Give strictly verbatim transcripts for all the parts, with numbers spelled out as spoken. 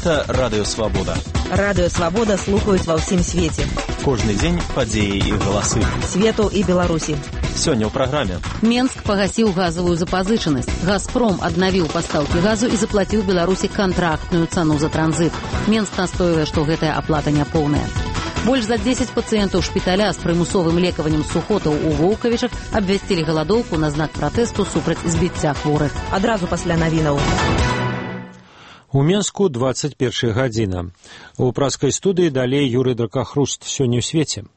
Гэта Радыё Свабода. Радыё Свабода слухаюць ва ўсім свеце. Кожны дзень падзеі і галасы. Свету і Беларусі. Сёння ў праграме. Менск пагасіў газавую запазычанасць. «Газпром» аднавіў пастаўкі газу і заплаціў Беларусі кантрактную цану за транзит. Менск настойвае, што гэтая аплата няпоўная. Больш за дзесяць пацыентаў шпіталя з прымусовым лекаваннем сухотаў у Воўкавічах абвясцілі галадоўку на знак пратэсту супраць збіцця хворых. Адразу пасля навінаў. У Менску двадцать першая гадзіна. У праскай студыі далей Юрый Дракахруст. Сёння ў свеце.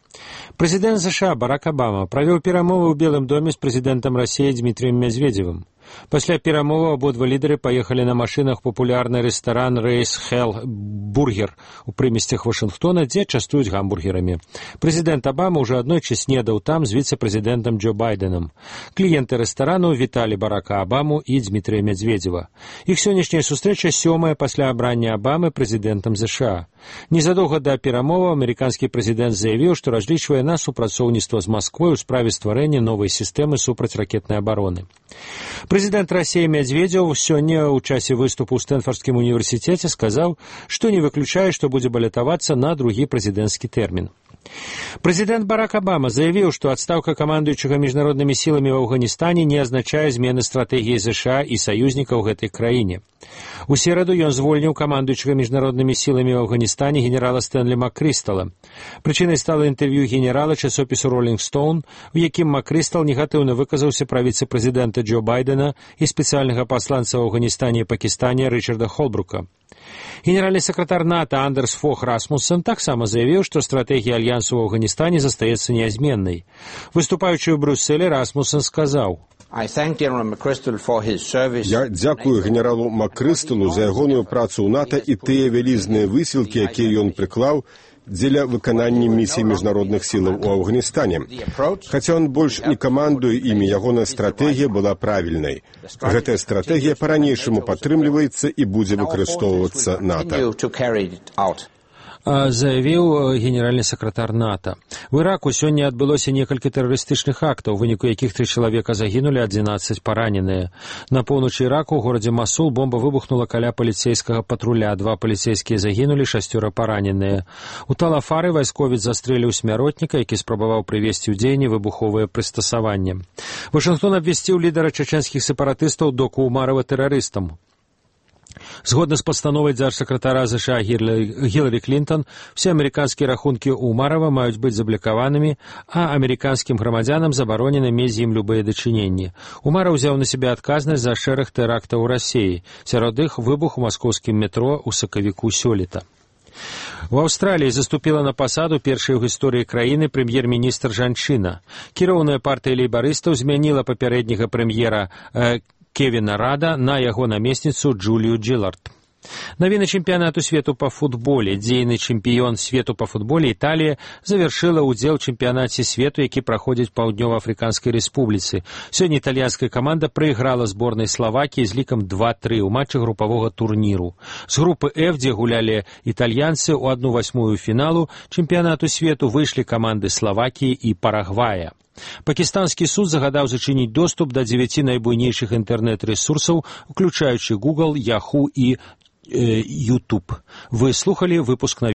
Прэзідэнт ЗША Барак Абама правёў перамовы ў Белым доме з прэзідэнтам Расіі Дмітрыем Медведзевым. Пасля перамовы абодва лідары паехалі на машынах папулярны рэстаран «Рейс Хелл Бургер» у прымесцях Вашынгтона, дзе частуюць гамбургерамі. Прэзідэнт Абама ўжо аднойчы снедаў там з віцэ-прэзідэнтам Джо Байденам. Кліенты рэстарану віталі Барака Абаму і Дмітрыя Медведзева. Іх сённяшняя сустрэча сёмая пасля абрання Абамы прэзідэнтам ЗША. Незадоўга да перамоваў амерыканскі прэзідэнт заявіў, што разлічвае на супрацоўніцтва з Масквой у справе стварэння новай сістэмы супрацьракетнай абароны. Прэзідэнт Расіі Медведзеў сёння ў часе выступу ў Стэнфордскім універсітэце сказаў, што не выключае, што будзе балятавацца на другі прэзідэнцкі тэрмін. Прэзідэнт Барак Абама заявіў, што адстаўка камандуючага міжнароднымі сіламі ў Афганістане не азначае змены стратэгіі ЗША і саюзнікаў гэтай краіне. У сераду ён звольніў камандуючага міжнароднымі сіламі ў Афганістане генерала Стэнлі Маккрыстала. Прычынай стала інтэрв'ю генерала часопісу «Ролінг Стоун», у якім Маккрыстал негатыўна выказаўся пра віцэ-прэзідэнта Джо Байдена і спецыяльнага пасланца ў Афганістане і Пакістане Рычарда Холбрука. Генеральны сакратар НАТО Андерс Фох Расмуссен таксама заявіў, што стратэгія альянсу ў Афганістане застаецца нязменнай. Выступаючы ў Брюсселі, Расмуссен сказаў: «Я дзякую генералу Маккрысталу за ягоную працу ў НАТО і тыя вялізныя высілкі, якія ён прыклаў дзеля выканання місій міжнародных сілаў у Афганістане. Хаця ён больш не камандуе імі, ягоная стратэгія была правільнай. Гэтая стратэгія па-ранейшаму падтрымліваецца і будзе выкарыстоўвацца НАТО», заявіў генеральны сакратар НАТО. У Іраку сёння адбылося некалькі тэрарыстычных актаў, у выніку якіх тры чалавека загінулі, адзінаццаць параненыя. На поўначы Іраку ў горадзе Масул бомба выбухнула каля паліцейскага патруля. Два паліцейскія загінулі, шасцёра параненыя. У Талафары вайсковец застрэліў смяротніка, які спрабаваў прывесці ў дзеянне выбуховае прыстасаванне. Вашынгтон абвясціў лідара чачэнскіх сепаратыстаў Доку Умарова тэрарыстам. Згодна з пастановай дзяржсакратара ЗША Гіларі Клінтон, все амерыканскія рахункі Умарова маюць быць заблакаванымі, а амерыканскім грамадзянам забаронена мець з ім любыя дачыненні. Умаров узяў на сябе адказнасць за шэраг тэрактаў у Расіі, сярод іх выбух у маскоўскім метро ў сакавіку сёлета. У Аўстраліі заступіла на пасаду першай у гісторыі краіны прэм'ер-міністр жанчына. Кіроўная партыя лейбарыстаў змяніла папярэдняга прэм'ера э, Кевіна Рада на яго намесніцу Джулію Джиллард. Навіны чэмпіянату свету па футболе. Дзейны чэмпіён свету па футболе Італія завяршыла ўдзел у чэмпіянаце свету, які праходзіць Паўднёва-Афрыканскай рэспубліцы. Сёння італьянская каманда прайграла зборнай Славакіі з лікам два тры ў матчы групавога турніру. З групы F, дзе гулялі італьянцы, у адну васьмую фіналу чэмпіянату свету выйшлі каманды Славакіі і Парагвая. Пакістанскі суд загадаў зачыніць доступ да дзевяці найбуйнейшых інтэрнэт-рэсурсаў, уключаючы Google, Yahoo і э, YouTube. Вы слухалі выпуск на